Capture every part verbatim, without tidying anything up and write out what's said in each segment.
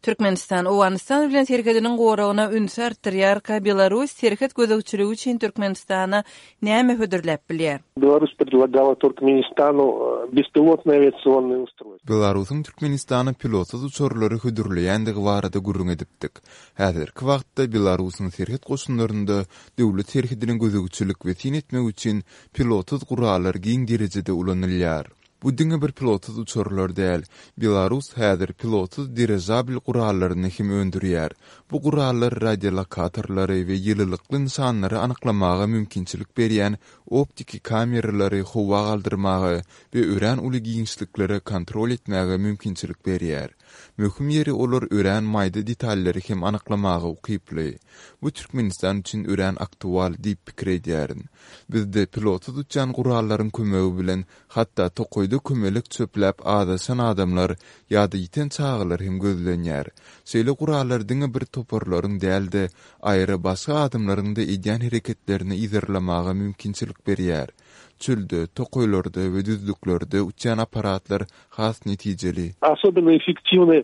Türkmenistan Owganystan bilen serhediniň goragyna ünsi artdyrýarka, Belarus serhet gözegçiligi üçin Türkmenistana näme hödürläp bilýär? Беларусь предлагала Туркменистану э, беспилотное авиационное устройство. Belarusyň Türkmenistana pilotsyz uçarlary hödürleýändigi barada gürrüň edipdik. Häzirki wagtda Belarusyň serhet goşunlarynda döwlet serhedine gözegçilik we syn etmek üçin pilotsyz gurallar giň derejede ulanylýar. Bu diňe bir pilotsyz uçarlar däl. Belarus häzir pilotsyz dirižabl gurallaryny hem öndürýär. Bu gurallar radiolokatorlary we ýylylykly nyşanlary anyklamaga mümkinçilik berýän optiki kameralary howa galdyrmaga we örän uly giňişliklere kontrol etmäge mümkinçilik berýär. Möhüm ýeri olar örän maýda detallary hem anyklamaga ukyply. Bu Türkmenistan üçin örän aktual diýip pikir edýärin. Bizde pilotsyz uçýan gurallaryň kömegi bilen hatda tokaýda kömelek çöpläp azaşan adamlar ýa-da ýiten çagalar hem gözlenýär. Şeýle gurallar diňe bir toparlaryň däl-de, aýry başga adamlaryň-da edýän hereketlerini yzarlamaga mümkinçilik berýär. Çölde, tokaýlarda we düzlüklerde uçýan apparatlar has netijeli. Особенно эффективны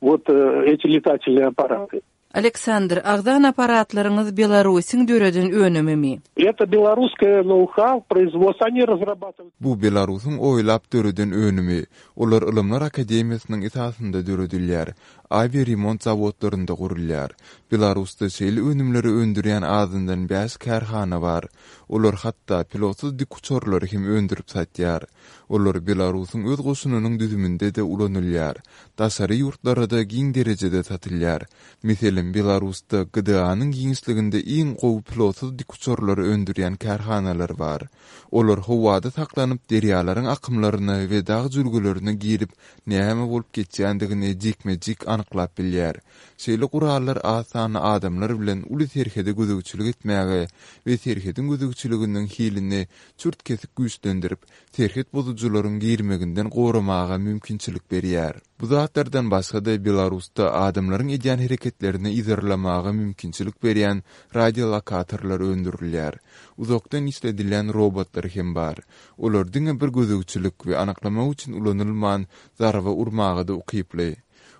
вот э, эти летательные аппараты. Aleksandr, agzan apparatlaryňyz Belarusyň döreden önümimi? Это белорусское ноу-хау, производство. Они разрабатывают Bu Belarusyň oýlap döreden önümi. Olar Ylymlar Akademiýasynyň esasynda döredilýär. Awiaremont zawodlarynda gurulýar. Belarusda şeýle önümleri öndürýän azyndan bäş kärhana bar. Olar hatda pilotsyz dikuçarlary hem öndürip satýar. Olar Belarusyň öz goşunynyň düzüminde-de ulanylýar. Daşary ýurtlara-da giň derejede satylýar. Meselem, Belarusda G D A'nyň giňişliginde iň gowy pilotsyz dikuçarlary öndürýän kärhanalar bar. Olar howada saklanyp, derýalaryň akymlaryna we dag jülgelerine girip, näme bolup geçýändigini jikme-jik anyklap bilýär. Şeýle gurallar az sanly adamlar bilen uly serhede gözegçilik etmäge we serhediň gözegçiliginiň hilini çürt-kesik güýçlendirip, serhet bozujylaryň girmeginden goramaga mümkinçilik berýär. Bu zatlardan başga-da Belarusda adamlaryň edýän hereketlerini yzarlamaga mümkinçilik berýän radiolokatorlar öndürilýär. Uzakdan işledilýän robotlar hem bar. Olar diňe bir gözegçilik we anyklamak üçin ulanylman, zarba urmaga-da ukyply.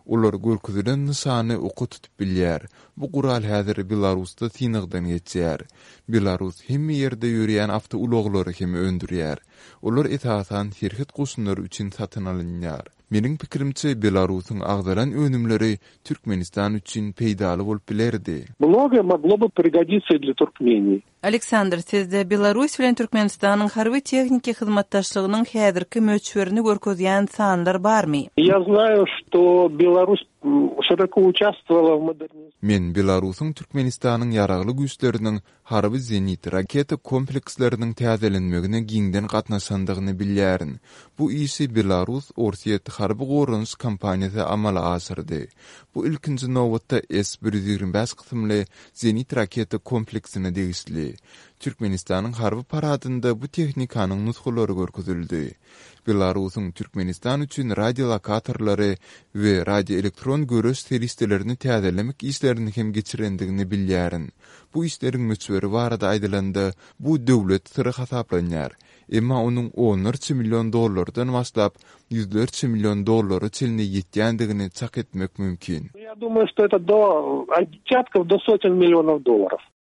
Olar görkezilen nyşany oka tutup bilýär. Bu gural häzir Belarusda synagdan geçýär. Belarus hemme ýerde ýörýän awtoulaglary hem öndürýär. Olar esasan serhet goşunlary üçin satyn alynýar. Meniň pikirimçe, Belarusyň agzalan önümleri Türkmenistan üçin peýdaly bolup bilerdi. Многое могло бы пригодиться и для Туркмении. Aleksandr, sizde Belarus bilen Türkmenistanyň harby tehniki hyzmatdaşlygynyň häzirki möçberini görkezýän sanlar barmy? Я знаю, что Беларусь м, широко участвовала в модернизации Men Belarusyň Türkmenistanyň ýaragly güýçleriniň harby zenit raketa kompleksleriniň täzelenmegine giňden gatnaşandygyny bilýärin. Bu işi Belarus Orsýet harby goranyş kompaniýasy amala aşyrdy. Bu ilkinji nobatda S bir ýüz ýigrimi bäş kysymly zenit raketa kompleksine degişli. Türkmenistanyň harby paradynda bu tehnikanyň nusgalary görkezildi. Belarusyň Türkmenistan üçin radiolokatorlary we radioelektron göreş serişdelerini täzelemek işlerini hem geçirendigini bilýärin. Bu işleriň möçberi barada aýdylanda, bu döwlet syry hasaplanýar. Emma onuň onlarça million dollardan başlap, ýüzlerçe million dollara çenli ýetýändigini çak etmek mümkin. Я думаю, что это до от десятков до сотен миллионов долларов.